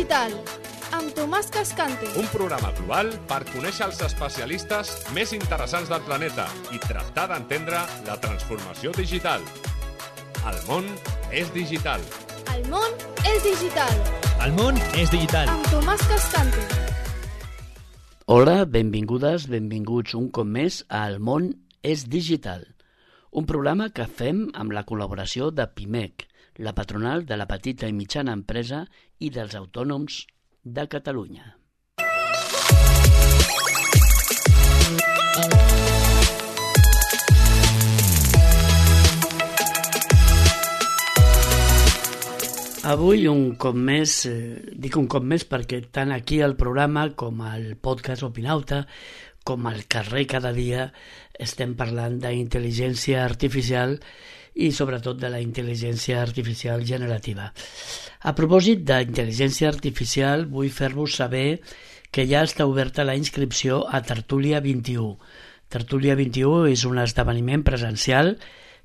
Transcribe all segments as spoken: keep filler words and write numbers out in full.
digital, amb Tomàs Cascante. Un programa global per conèixer els especialistes més interessants del planeta i tractar d'entendre la transformació digital. El món és digital. El món és digital. El món és digital. Amb Tomàs Cascante. Hola, benvingudes, benvinguts un cop més a El món és digital, un programa que fem amb la col·laboració de Pimec, la patronal de la petita i mitjana empresa i dels autònoms de Catalunya. Avui, un cop més, eh, dic un cop més perquè tant aquí al programa com al podcast Opinauta, com al carrer cada dia, estem parlant d'intel·ligència artificial i sobretot de la intel·ligència artificial generativa. A propòsit d'intel·ligència artificial, vull fer-vos saber que ja està oberta la inscripció a Tertúlia vint-i-u. Tertúlia vint-i-u és un esdeveniment presencial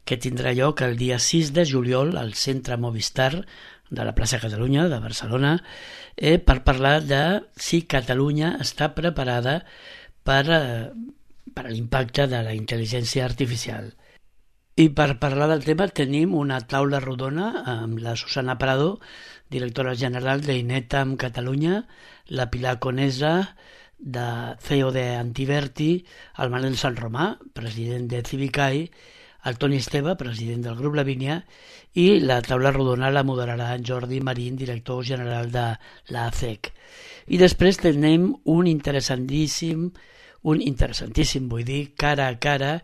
que tindrà lloc el dia sis de juliol al Centre Movistar de la plaça Catalunya de Barcelona eh, per parlar de si Catalunya està preparada per, eh, per a l'impacte de la intel·ligència artificial. I per parlar del tema tenim una taula rodona amb la Susana Prado, directora general d'Inetam Catalunya, la Pilar Conesa, de C E O de Antiverti, el Manel Sant Romà, president de Civicai, el Toni Esteve, president del grup Lavínia, i la taula rodona la moderarà en Jordi Marín, director general de l'A C E C. I després tenim un interessantíssim, un interessantíssim, vull dir, cara a cara,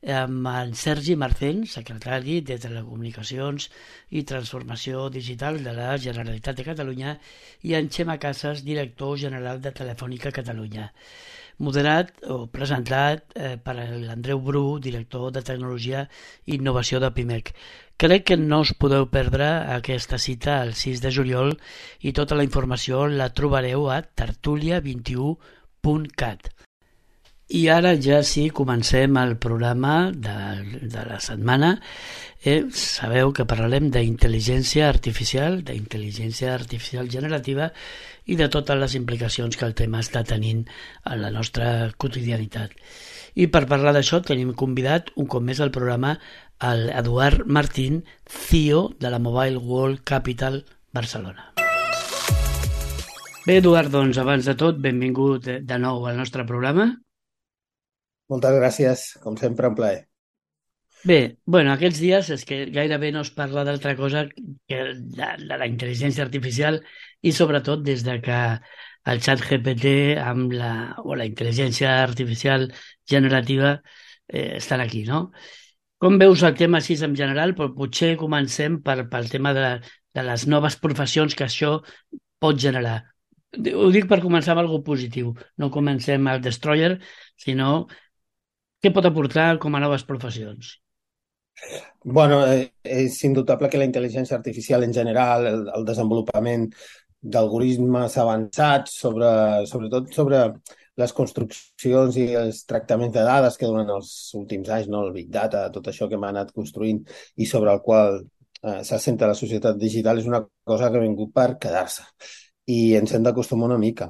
amb en Sergi Marcén, secretari de Telecomunicacions i Transformació Digital de la Generalitat de Catalunya, i en Xema Casas, director general de Telefònica Catalunya. Moderat o presentat eh, per l'Andreu Bru, director de Tecnologia i Innovació de Pimec. Crec que no us podeu perdre aquesta cita el sis de juliol i tota la informació la trobareu a tertulia vint i u punt cat. I ara ja sí, comencem el programa de, de la setmana. Eh, sabeu que parlarem d'intel·ligència artificial, d'intel·ligència artificial generativa i de totes les implicacions que el tema està tenint a la nostra quotidianitat. I per parlar d'això tenim convidat un cop més al programa el Eduard Martín, C E O de la Mobile World Capital Barcelona. Bé, Eduard, doncs abans de tot, benvingut de nou al nostre programa. Moltes gràcies, com sempre, un plaer. Bé, bueno, aquests dies és que gairebé no es parla d'altra cosa que de, de la intel·ligència artificial i sobretot des de que el xat G P T amb la, o la intel·ligència artificial generativa eh, estan aquí, no? Com veus el tema així en general? Però potser comencem per, pel tema de, de les noves professions que això pot generar. Ho dic per començar amb alguna cosa positiu. No comencem al Destroyer, sinó què pot aportar com a noves professions? Bueno, eh, és indubtable que la intel·ligència artificial en general, el, el desenvolupament d'algoritmes avançats, sobre, sobretot sobre les construccions i els tractaments de dades que durant els últims anys, no, el Big Data, tot això que hem anat construint i sobre el qual eh, s'assenta la societat digital, és una cosa que ha vingut per quedar-se i ens hem d'acostumar una mica.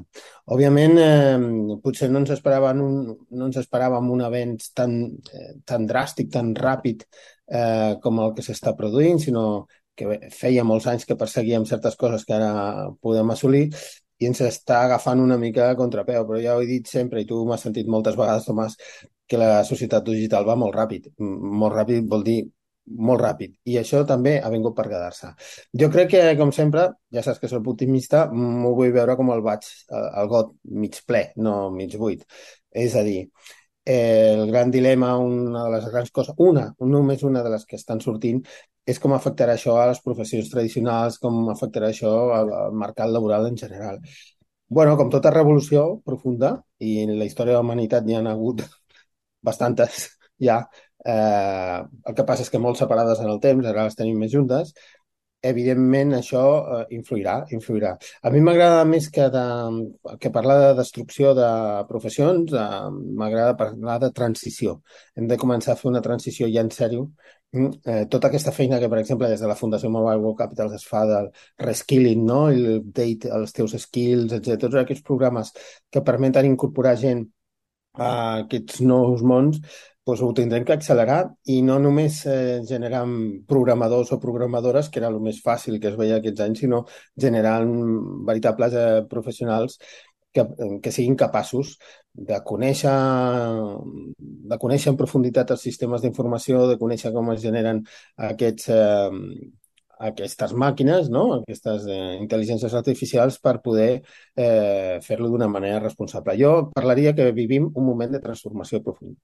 Òbviament, eh, potser no ens esperàvem un, no ens esperàvem un avenç tan, eh, tan dràstic, tan ràpid eh, com el que s'està produint, sinó que bé, feia molts anys que perseguíem certes coses que ara podem assolir i ens està agafant una mica a contrapeu. Però ja ho he dit sempre, i tu m'has sentit moltes vegades, Tomàs, que la societat digital va molt ràpid. Molt ràpid vol dir molt ràpid, i això també ha vingut per quedar-se. Jo crec que, com sempre, ja saps que soc optimista, m'ho vull veure com el vaig, el got mig ple, no mig buit. És a dir, el gran dilema, una de les grans coses, una, només una de les que estan sortint, és com afectarà això a les professions tradicionals, com afectarà això al mercat laboral en general. Bueno, com tota revolució profunda, i en la història de la humanitat n'hi ha hagut bastantes ja, Eh, el que passa és que molt separades en el temps, ara les tenim més juntes, evidentment això eh, influirà, influirà. A mi m'agrada més que, de, que parlar de destrucció de professions, eh, m'agrada parlar de transició. Hem de començar a fer una transició ja en sèrio. Mm, Eh, tota aquesta feina que, per exemple, des de la Fundació Mobile World Capital es fa del reskilling, no? I l'update, els teus skills, etcètera. Tots aquests programes que permeten incorporar gent a aquests nous mons, doncs ho tindrem que accelerar i no només eh, generant programadors o programadores, que era el més fàcil que es veia aquests anys, sinó generant veritables eh, professionals que, que siguin capaços de conèixer, de conèixer en profunditat els sistemes d'informació, de conèixer com es generen aquests, eh, aquestes màquines, no? Aquestes eh, intel·ligències artificials per poder eh, fer-lo d'una manera responsable. Jo parlaria que vivim un moment de transformació profunda.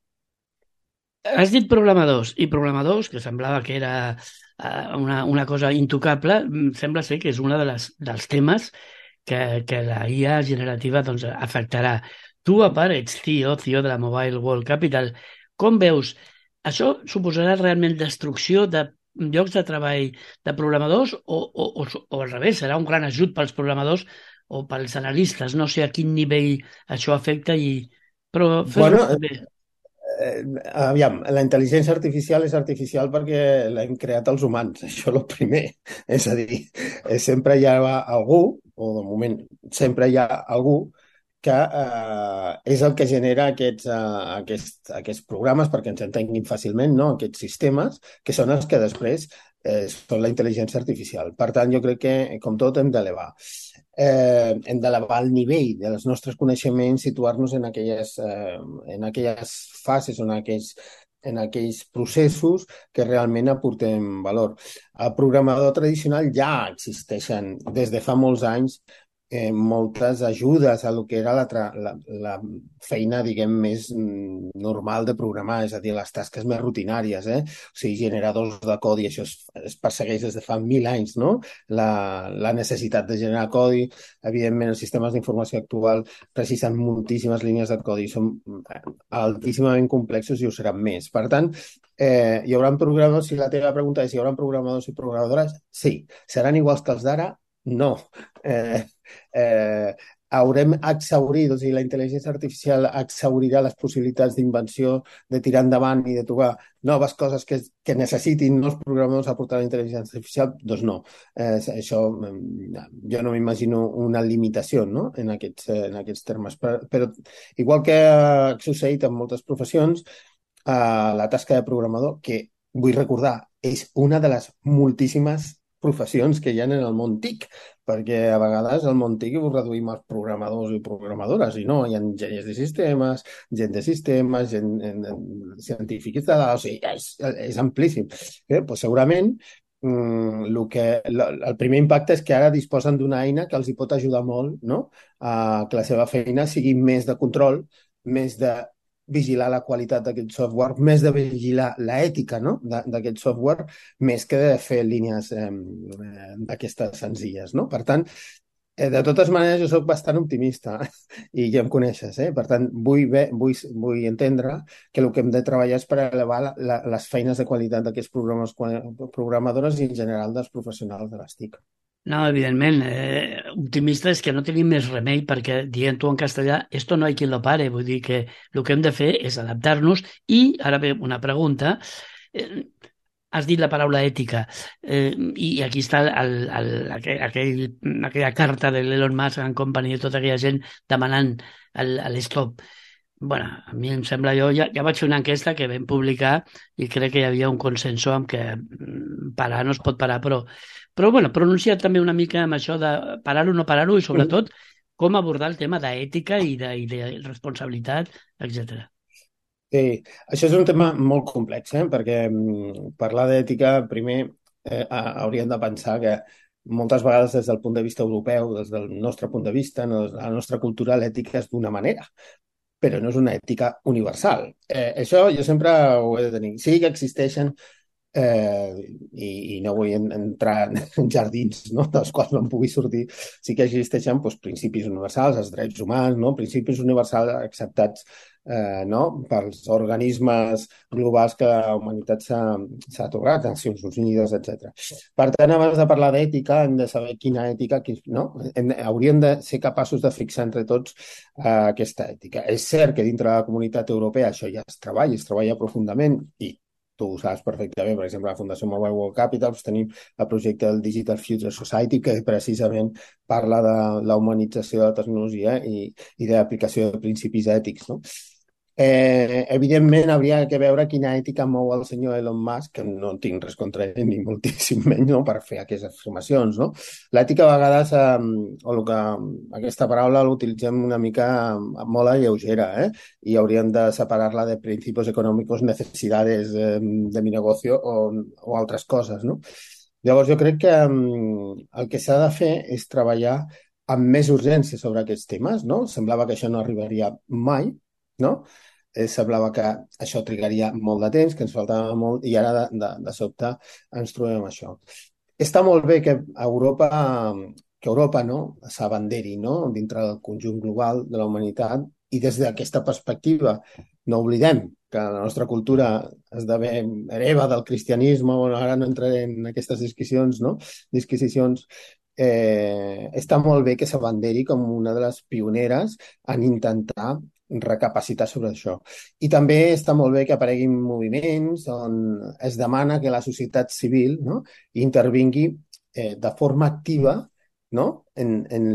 Has dit programadors, i programadors, que semblava que era uh, una, una cosa intocable, sembla ser que és un de les, dels temes que, que la I A generativa doncs, afectarà. Tu, a part, ets C E O, C E O de la Mobile World Capital. Com veus? Això suposarà realment destrucció de llocs de treball de programadors o, o, o, o al revés, serà un gran ajut pels programadors o pels analistes? No sé a quin nivell això afecta, i... però fes-ho Bueno, bé. Eh, aviam, la intel·ligència artificial és artificial perquè l'hem creat els humans, això és el primer. És a dir, eh, sempre hi ha algú, o de moment sempre hi ha algú, que eh, és el que genera aquests, eh, aquests, aquests programes perquè ens entenguin fàcilment, no? Aquests sistemes, que són els que després eh, són la intel·ligència artificial. Per tant, jo crec que, com tot, hem d'elevar. Eh, hem d'elevar el nivell dels nostres coneixements, situar-nos en aquelles, eh, en aquelles fases, en aquells, en aquells processos que realment aportem valor. El programador tradicional ja existeixen des de fa molts anys eh, moltes ajudes a lo que era la, la, la feina, diguem, més normal de programar, és a dir, les tasques més rutinàries, eh? O sigui, generadors de codi, això es, es persegueix des de fa mil anys, no? La, la necessitat de generar codi. Evidentment, els sistemes d'informació actual precisen moltíssimes línies de codi, són altíssimament complexos i ho seran més. Per tant, eh, hi haurà programadors, si la teva pregunta és si hi haurà programadors i programadores, sí. Seran iguals que els d'ara? No. Eh, eh, haurem exhaurit, o sigui, la intel·ligència artificial exhaurirà les possibilitats d'invenció, de tirar endavant i de trobar noves coses que, que necessitin nous programadors aportar la intel·ligència artificial? Doncs no. Eh, això, jo no m'imagino una limitació, no? en, aquests, en aquests termes. Però, però igual que ha succeït en moltes professions, eh, la tasca de programador, que vull recordar, és una de les moltíssimes professions que hi ha en el món TIC, perquè a vegades el món TIC ho reduïm als programadors i programadores, i no, hi ha enginyers de sistemes, gent de sistemes, gent, en, en, científics de dades, o sigui, és, és amplíssim. Eh? Pues segurament mm, lo que, lo, el primer impacte és que ara disposen d'una eina que els hi pot ajudar molt, no? A que la seva feina sigui més de control, més de vigilar la qualitat d'aquest software, més de vigilar l'ètica, no? d'aquest software, més que de fer línies eh, d'aquestes senzilles. No? Per tant, eh, de totes maneres, jo soc bastant optimista i ja em coneixes. Eh? Per tant, vull, bé, vull, vull entendre que el que hem de treballar és per elevar la, la, les feines de qualitat d'aquests programes, programadores i en general dels professionals de les TIC. No, evidentment, eh, optimista és que no tenim més remei perquè, dient-ho en castellà, esto no hay quien lo pare, vull dir que el que hem de fer és adaptar-nos. I ara ve una pregunta, eh, has dit la paraula ètica, eh, i aquí està el, el, aquell, aquell, aquella carta de l'Elon Musk and Company i tota aquella gent demanant l'stop. Bueno, a mi em sembla, jo ja, ja vaig fer una enquesta que vam publicar i crec que hi havia un consenso amb que parar no es pot parar, però Però, bueno, pronuncia't també una mica amb això de parar-ho o no parar-ho i, sobretot, com abordar el tema d'ètica i de, i de responsabilitat, etcètera. Sí, això és un tema molt complex, eh? perquè parlar d'ètica, primer, eh, hauríem de pensar que moltes vegades des del punt de vista europeu, des del nostre punt de vista, no, la nostra cultura, l'ètica és d'una manera, però no és una ètica universal. Eh, això jo sempre ho he de tenir. Sí que existeixen Eh, i, i no vull entrar en jardins, no? dels quals no em pugui sortir, sí que existeixen doncs, principis universals, els drets humans, no? principis universals acceptats eh, no? pels organismes globals que la humanitat s'ha s'ha atorgat, Nacions Unides, etcètera. Per tant, abans de parlar d'ètica, hem de saber quina ètica, quin, no? Hem, hauríem de ser capaços de fixar entre tots eh, aquesta ètica. És cert que dintre de la comunitat europea això ja es treballa, es treballa profundament i tu ho saps perfectament, per exemple, la Fundació Mobile World Capital, doncs tenim el projecte del Digital Future Society, que precisament parla de la humanització de la tecnologia i, i de l'aplicació de principis ètics, no? Eh, evidentment, hauria de veure quina ètica mou el senyor Elon Musk, que no tinc res contra ell ni moltíssim menys, no?, per fer aquestes afirmacions, no? L'ètica a vegades, eh, o el que, aquesta paraula l'utilitzem una mica molt a lleugera, eh? I hauríem de separar-la de principis econòmics, necessitats eh, de mi negocio o, o altres coses, no? Llavors, jo crec que um, el que s'ha de fer és treballar amb més urgència sobre aquests temes, no? Semblava que això no arribaria mai, no? Eh, semblava que això trigaria molt de temps, que ens faltava molt, i ara de, de, de sobte ens trobem això. Està molt bé que Europa, que Europa no, s'abanderi, no?, dintre del conjunt global de la humanitat, i des d'aquesta perspectiva no oblidem que la nostra cultura esdevé hereva del cristianisme, bueno, ara no entraré en aquestes disquisicions, no?, disquisicions, eh, està molt bé que s'abanderi com una de les pioneres en intentar recapacitar sobre això. I també està molt bé que apareguin moviments on es demana que la societat civil, no?, intervingui eh, de forma activa, no?, en, en,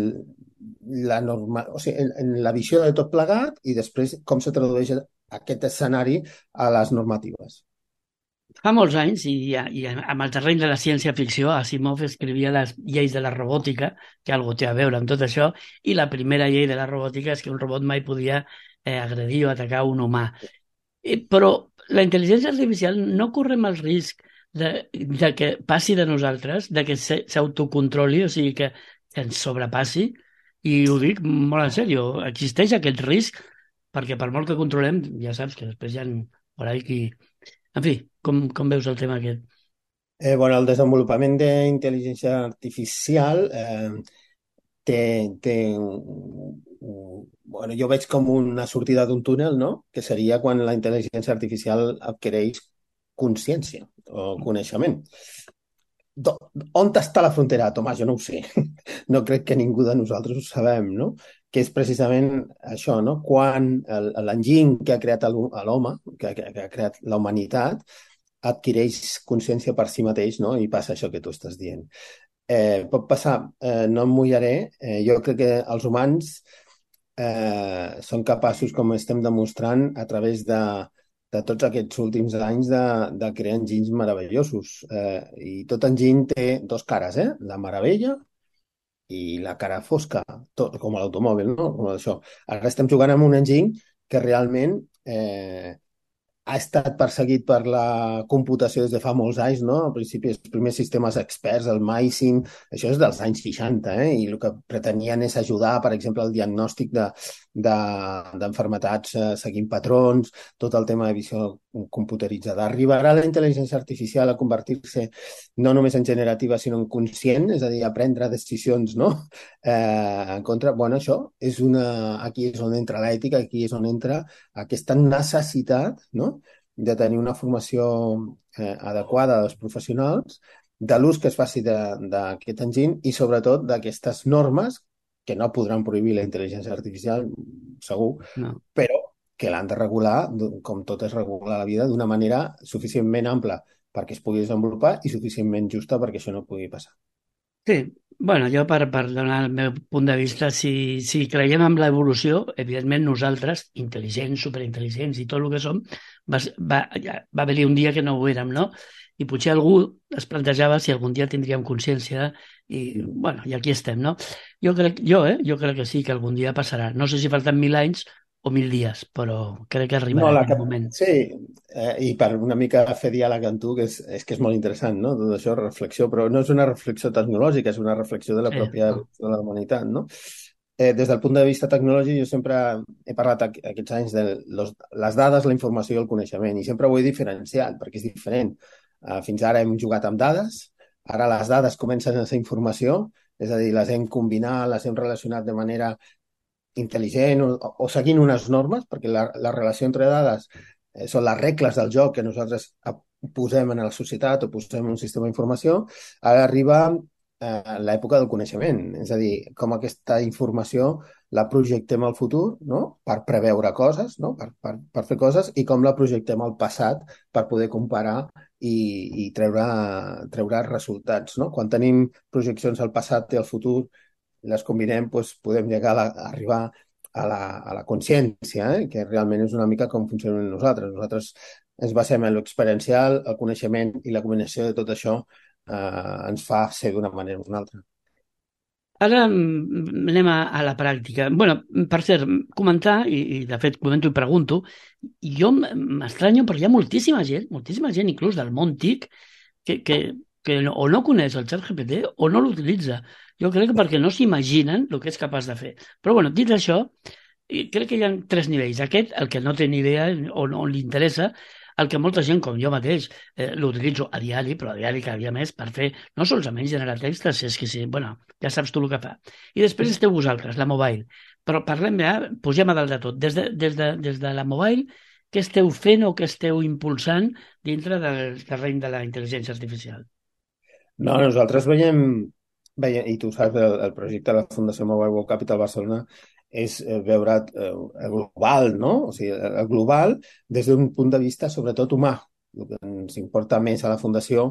la norma, o sigui, en, en la visió de tot plegat i després com se tradueix aquest escenari a les normatives. Fa molts anys, i, i amb el terreny de la ciència-ficció, Asimov escrivia les lleis de la robòtica, que algo té a veure amb tot això, i la primera llei de la robòtica és que un robot mai podia eh, agredir o atacar un humà. Eh, però la intel·ligència artificial no correm el risc de, de que passi de nosaltres, de que s'autocontroli, o sigui, que, que ens sobrepassi, i ho dic molt en sèrio, existeix aquest risc, perquè per molt que controlem, ja saps que després hi ha por ahí qui... En fi, com, com veus el tema aquest? Eh, bueno, el desenvolupament d'intel·ligència artificial eh, té, té un, un, bueno, jo veig com una sortida d'un túnel, no?, que seria quan la intel·ligència artificial adquireix consciència o coneixement. Do, on està la frontera, Tomàs? Jo no ho sé. No crec que ningú de nosaltres ho sabem, no?, que és precisament això, no?, quan l'enginy que ha creat l'home, que, que, que ha creat la humanitat, adquireix consciència per si mateix, no?, i passa això que tu estàs dient. Eh, pot passar, eh, no em mullaré, eh, jo crec que els humans eh, són capaços, com estem demostrant, a través de, de tots aquests últims anys de, de crear enginys meravellosos. Eh, I tot enginy té dos cares, eh?, la meravella i la cara fosca, tot, com l'automòbil, no?, com això. Ara estem jugant amb un enginy que realment eh, ha estat perseguit per la computació des de fa molts anys, no? Al principi els primers sistemes experts, el MySim, això és dels anys seixanta, eh? I el que pretenien és ajudar, per exemple, el diagnòstic de, de, d'enfermetats eh, seguint patrons, tot el tema de visió computeritzada. Arribarà la intel·ligència artificial a convertir-se no només en generativa, sinó en conscient, és a dir, a prendre decisions, no?, eh, en contra... Bueno, això és una... Aquí és on entra l'ètica, aquí és on entra aquesta necessitat, no?, de tenir una formació eh, adequada dels professionals, de l'ús que es faci d'aquest enginy i, sobretot, d'aquestes normes que no podran prohibir la intel·ligència artificial, segur, no, però que l'han de regular, com tot es regula la vida, d'una manera suficientment ampla perquè es pugui desenvolupar i suficientment justa perquè això no pugui passar. Sí, bueno, jo per, per donar el meu punt de vista, si, si creiem en l'evolució, evidentment nosaltres, intel·ligents, superintel·ligents i tot el que som, va, va, va haver-hi un dia que no ho érem, no? I potser algú es plantejava si algun dia tindríem consciència i, bueno, i aquí estem, no? Jo crec, jo, eh? jo crec que sí, que algun dia passarà. No sé si falten mil anys o mil dies, però crec que arribarà no, aquest moment. Sí, eh, i per una mica fer diàleg amb tu, que és, és que és molt interessant, no?, tot això, reflexió, però no és una reflexió tecnològica, és una reflexió de la sí, pròpia no. de la humanitat, no? Eh, des del punt de vista tecnològic, jo sempre he parlat aquests anys de los, les dades, la informació i el coneixement, i sempre ho he diferenciat, perquè és diferent. Uh, fins ara hem jugat amb dades, ara les dades comencen a ser informació, és a dir, les hem combinat, les hem relacionat de manera intel·ligent o, o seguint unes normes, perquè la, la relació entre dades eh, són les regles del joc que nosaltres posem en la societat o posem en un sistema d'informació, ara arriba eh, l'època del coneixement, és a dir, com aquesta informació la projectem al futur, no? Per preveure coses, no? per, per, per fer coses, i com la projectem al passat per poder comparar i, i treure, treure resultats. No? Quan tenim projeccions al passat i al futur, les combinem, doncs podem llegar a, la, a arribar a la, a la consciència, eh? Que realment és una mica com funcionem nosaltres. Nosaltres ens basem en l'experiencial, el coneixement i la combinació de tot això eh, ens fa ser d'una manera o una altra. Ara mm, anem a, a la pràctica. Bueno, per cert, comentar, i, i de fet comento i pregunto, jo m- m'estranyo perquè hi ha moltíssima gent, moltíssima gent inclús del món TIC, que, que, que no, o no coneix el ChatGPT o no l'utilitza. Jo crec que perquè no s'imaginen el que és capaç de fer. Però bueno, dit això, i crec que hi ha tres nivells. Aquest, el que no té ni idea o no li interessa, el que molta gent, com jo mateix, eh, l'utilitzo a diari, però a diari cada dia més per fer, no solament generar textos, és que sí, bueno, ja saps tu el que fa. I després esteu vosaltres, la mobile. Però parlem ja, pugem a dalt de tot. Des de, des de, des de la mobile, què esteu fent o què esteu impulsant dintre del terreny de la intel·ligència artificial? No, nosaltres veiem, veiem i tu saps, el, el projecte de la Fundació Mobile World Capital Barcelona és eh, veure eh, el global, no? O sigui, el el global des d'un punt de vista sobretot humà. El que ens importa més a la Fundació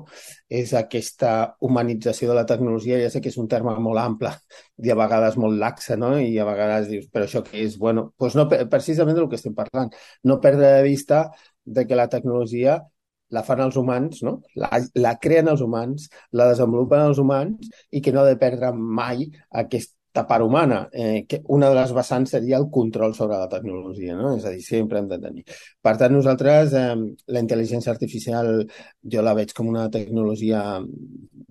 és aquesta humanització de la tecnologia. Ja sé que és un terme molt ample i a vegades molt laxe, no? I a vegades dius, però això què és? Bueno, doncs no, precisament del que estem parlant. No perdre de vista de que la tecnologia la fan els humans, no? La, la creen els humans, la desenvolupen els humans i que no ha de perdre mai aquesta part humana. Eh, que una de les vessants seria el control sobre la tecnologia, no? És a dir, sempre hem de tenir. Per tant, nosaltres, eh, la intel·ligència artificial, jo la veig com una tecnologia...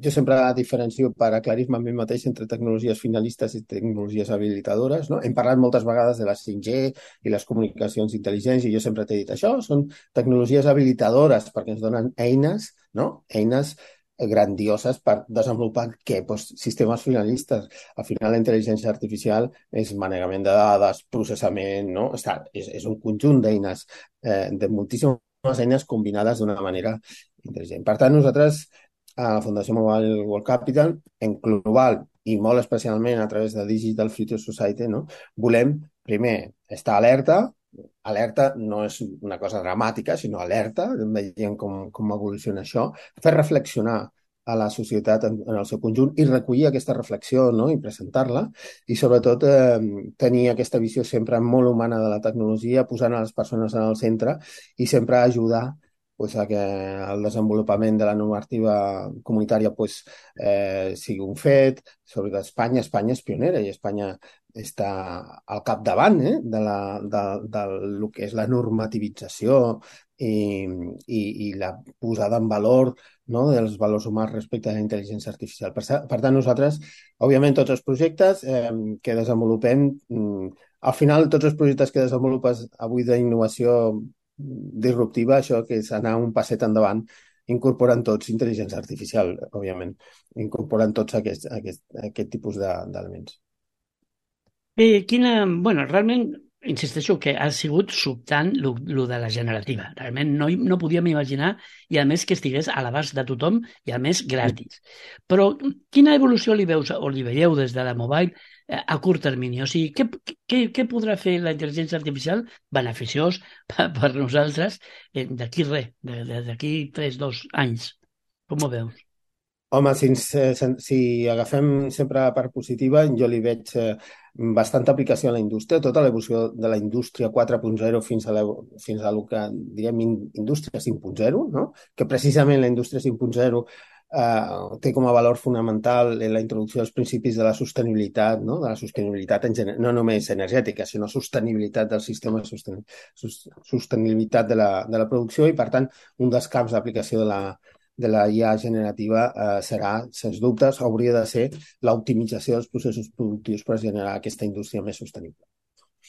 Jo sempre la diferencio per aclarir-me a mi mateix entre tecnologies finalistes i tecnologies habilitadores, no? Hem parlat moltes vegades de la cinc G i les comunicacions intel·ligents i jo sempre t'he dit això, són tecnologies habilitadores perquè ens donen eines, no? Eines grandioses per desenvolupar què? Pues, sistemes finalistes. Al final la intel·ligència artificial és manegament de dades, processament, no? Està, és, és un conjunt d'eines, eh, de moltíssimes eines combinades d'una manera intel·ligent. Per tant, nosaltres a la Fundació Mobile World Capital, en global i molt especialment a través de Digital Future Society, no? Volem, primer, estar alerta. Alerta no és una cosa dramàtica, sinó alerta, veiem com, com evoluciona això, fer reflexionar a la societat en, en el seu conjunt i recollir aquesta reflexió, no? I presentar-la i sobretot eh, tenir aquesta visió sempre molt humana de la tecnologia, posant a les persones en el centre i sempre ajudar pues, a que el desenvolupament de la normativa comunitària pues, eh, sigui un fet. Sobre Espanya, Espanya és pionera i Espanya està al capdavant eh, de, la, de, de lo que és la normativització i, i, i la posada en valor, no, dels valors humans respecte a la intel·ligència artificial. Per, per tant, nosaltres, òbviament, tots els projectes eh, que desenvolupem, mm, al final, tots els projectes que desenvolupes avui d'innovació disruptiva, això que és anar un passet endavant, incorporen tots intel·ligència artificial, òbviament, incorporen tots aquest, aquest, aquest tipus d'elements. Eh, quina, bueno, realment, insisteixo que ha sigut sobtant lo, lo de la generativa. Realment no, no podíem imaginar, i a més que estigués a l'abast de tothom i a més gratis. Però quina evolució li veus o li veieu des de la mobile eh, a curt termini? O sigui, què, què, què podrà fer la intel·ligència artificial beneficiós per, per nosaltres eh, d'aquí res, d'aquí tres, dos anys? Com ho veus? Home, si, ens, si agafem sempre la part positiva, jo li veig eh, bastanta aplicació a la indústria, tota l'evolució de la indústria quatre punt zero fins a, la, fins a el que direm indústria cinc punt zero, no? Que precisament la indústria cinc punt zero eh, té com a valor fonamental la introducció dels principis de la sostenibilitat, no? De la sostenibilitat en general, no només energètica, sinó sostenibilitat del sistema, sosten, sostenibilitat de la, de la producció i, per tant, un dels camps d'aplicació de la de la I A generativa eh, serà, sens dubtes, hauria de ser l'optimització dels processos productius per generar aquesta indústria més sostenible.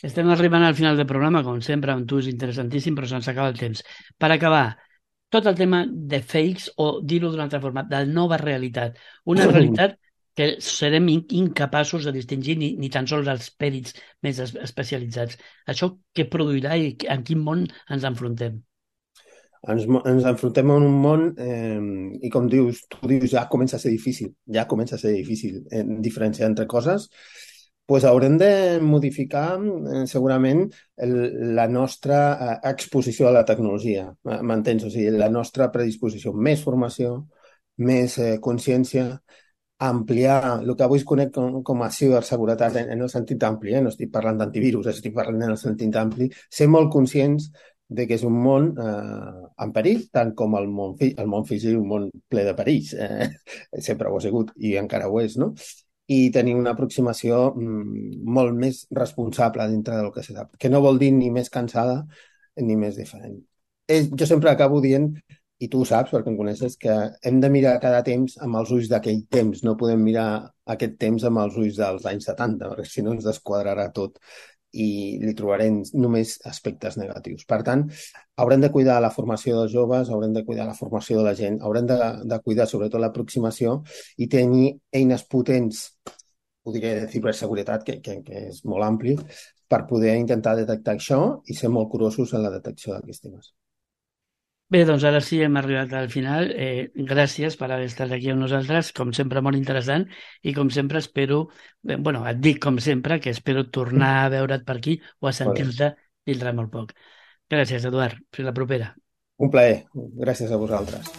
Estem arribant al final del programa, com sempre, amb tu és interessantíssim, però se'ns acaba el temps. Per acabar, tot el tema de fakes, o dir-ho d'una altra forma, de nova realitat. Una realitat que serem incapaços de distingir ni, ni tan sols els pèrits més especialitzats. Això què produirà i en quin món ens enfrontem? Ens, ens enfrontem a un món eh, i com dius, tu dius, ja comença a ser difícil, ja comença a ser difícil eh, diferenciar entre coses, pues haurem de modificar eh, segurament el, la nostra eh, exposició a la tecnologia, m'entens? O sigui, la nostra predisposició, més formació, més eh, consciència, ampliar el que avui es conec com, com a ciberseguretat en, en el sentit ampli, eh? No estic parlant d'antivirus, estic parlant en el sentit ampli, ser molt conscients de que és un món eh, en perill, tant com el món, el món físic, un món ple de perills. Eh? Sempre ho ha sigut i encara ho és, no? I tenir una aproximació mm, molt més responsable dintre del que se sap, que no vol dir ni més cansada ni més diferent. Eh, jo sempre acabo dient, i tu ho saps perquè em coneixes, que hem de mirar cada temps amb els ulls d'aquell temps, no podem mirar aquest temps amb els ulls dels anys setanta, perquè si no ens desquadrarà tot i li trobarem només aspectes negatius. Per tant, haurem de cuidar la formació dels joves, haurem de cuidar la formació de la gent, haurem de, de cuidar sobretot l'aproximació i tenir eines potents, ho diré de ciberseguretat, que, que, que és molt ampli, per poder intentar detectar això i ser molt curosos en la detecció d'aquests temes. Bé, doncs ara sí hem arribat al final. Eh, gràcies per haver estat aquí amb nosaltres, com sempre molt interessant, i com sempre espero, eh, bueno, et dic com sempre, que espero tornar a veure't per aquí o a sentir-te dintre molt poc. Gràcies, Eduard. Fins la propera. Un plaer. Gràcies a vosaltres.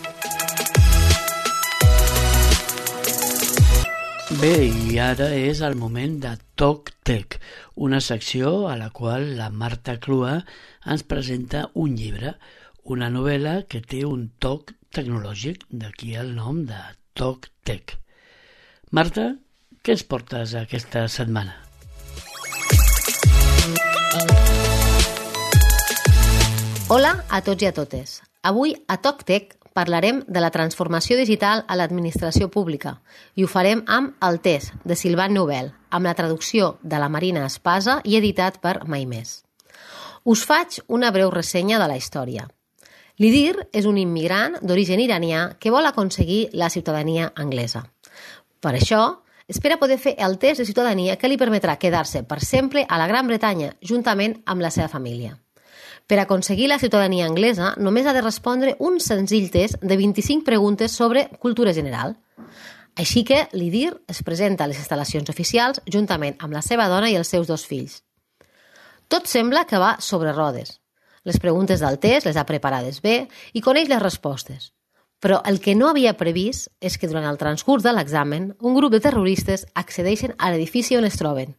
Bé, i ara és el moment de Toc Tec, una secció a la qual la Marta Clua ens presenta un llibre, una novel·la que té un toc tecnològic, d'aquí el nom de Toc Tec. Marta, què ens portes aquesta setmana? Hola a tots i a totes. Avui a Toc Tec parlarem de la transformació digital a l'administració pública i ho farem amb El Test, de Sylvain Nouvel, amb la traducció de la Marina Espasa i editat per Maimés. Us faig una breu ressenya de la història. L'Idir és un immigrant d'origen iranià que vol aconseguir la ciutadania anglesa. Per això, espera poder fer el test de ciutadania que li permetrà quedar-se per sempre a la Gran Bretanya, juntament amb la seva família. Per aconseguir la ciutadania anglesa, només ha de respondre un senzill test de vint-i-cinc preguntes sobre cultura general. Així que l'Idir es presenta a les instal·lacions oficials juntament amb la seva dona i els seus dos fills. Tot sembla que va sobre rodes. Les preguntes del test les ha preparades bé i coneix les respostes. Però el que no havia previst és que durant el transcurs de l'examen un grup de terroristes accedeixen a l'edifici on es troben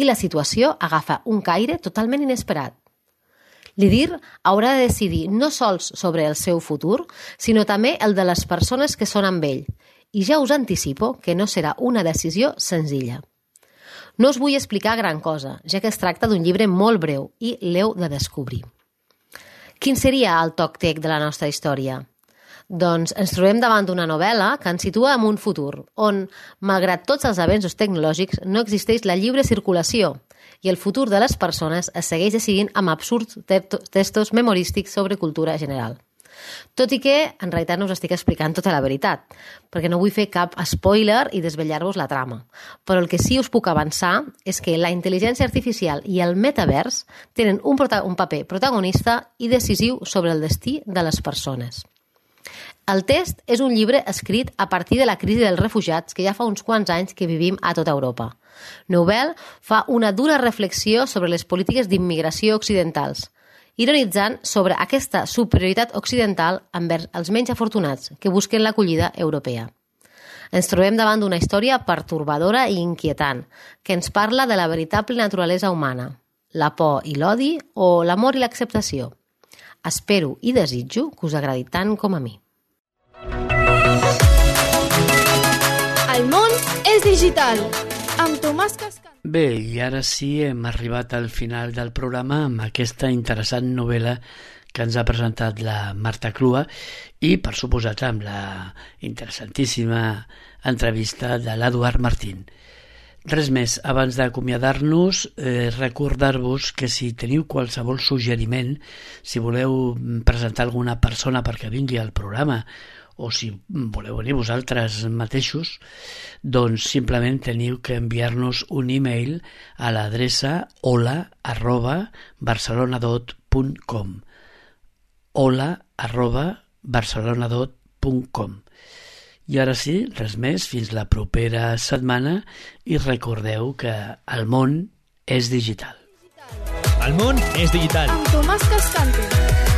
i la situació agafa un caire totalment inesperat. L'Idir haurà de decidir no sols sobre el seu futur, sinó també el de les persones que són amb ell. I ja us anticipo que no serà una decisió senzilla. No us vull explicar gran cosa, ja que es tracta d'un llibre molt breu i l'heu de descobrir. Quin seria el toc tec de la nostra història? Doncs ens trobem davant d'una novel·la que ens situa en un futur, on, malgrat tots els avenços tecnològics, no existeix la lliure circulació i el futur de les persones es segueix decidint amb absurds textos memorístics sobre cultura general. Tot i que, en realitat, no us estic explicant tota la veritat, perquè no vull fer cap spoiler i desvetllar-vos la trama. Però el que sí us puc avançar és que la intel·ligència artificial i el metavers tenen un, prota- un paper protagonista i decisiu sobre el destí de les persones. El Test és un llibre escrit a partir de la crisi dels refugiats que ja fa uns quants anys que vivim a tota Europa. Nouvel fa una dura reflexió sobre les polítiques d'immigració occidentals, ironitzant sobre aquesta superioritat occidental envers els menys afortunats que busquen l'acollida europea. Ens trobem davant d'una història pertorbadora i inquietant, que ens parla de la veritable naturalesa humana, la por i l'odi o l'amor i l'acceptació. Espero i desitjo que us agradi tant com a mi. El món és digital, amb Tomàs Cascant. Bé, i ara sí hem arribat al final del programa amb aquesta interessant novel·la que ens ha presentat la Marta Clua i, per suposat, amb la interessantíssima entrevista de l'Eduard Martín. Res més, abans d'acomiadar-nos, eh, recordar-vos que si teniu qualsevol suggeriment, si voleu presentar alguna persona perquè vingui al programa o si voleu venir vosaltres mateixos, doncs simplement teniu que enviar-nos un e-mail a l'adreça hola arroba barcelonadot punt com hola arroba barcelonadot punt com. I ara sí, res més, fins la propera setmana i recordeu que el món és digital. El món és digital. Amb Tomàs Cascante.